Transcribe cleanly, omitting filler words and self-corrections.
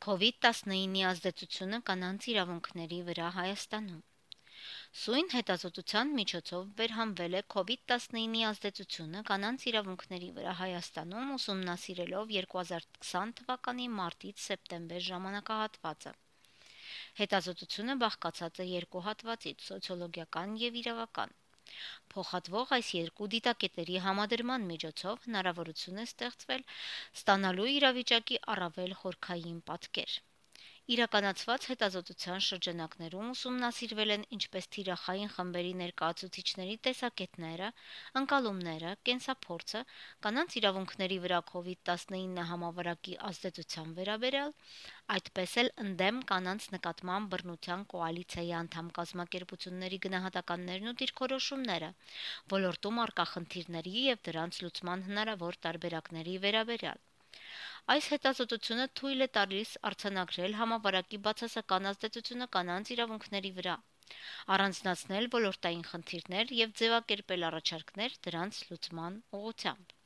COVID-19-ի ազդեցությունը կանանց իրավունքների վրա Հայաստանում։ Սույն հետազոտության միջոցով վերհանվել է COVID-19-ի ազդեցությունը կանանց իրավունքների վրա Հայաստանում ուսումնասիրելով 2020 թվականի մարտից սեպտեմբեր ժամանակահատվածը։ Հետազոտությունը բաղկացած է երկու հատվածից՝ սոցիոլոգիական և իրավական։ Փոխհատվող այս երկու դիտակետերի համադրման միջոցով հնարավորություն է ստեղծվել ստանալու իրավիճակի առավել խորքային պատկեր։ Իրականացված հետազոտության շրջանակներում ուսումնասիրվել են ինչպես թիրախային խմբերի ներկայացուցիչների տեսակետները, ընկալումները, կենսափորձը, կանանց իրավունքների վրա COVID-19 համավարակի ազդեցության վերաբերյալ, այդպես էլ ընդդեմ կանանց նկատմամբ բռնության կոալիցիայի անդամ կազմակերպությունների գնահատականներն ու դիրքորոշումները, ոլորտում առկա խնդիրների և դրանց լուծման հնարավոր տարբերակների վերաբերյալ։ Այս հետազոտությունը թույլ է տալիս արձանագրել համավարակի բացասական ազդեցությունը կանանց իրավունքների վրա, առանձնացնել ոլորտային խնդիրներ և ձևակերպել առաջարկներ դրանց լուծման ուղղությամբ։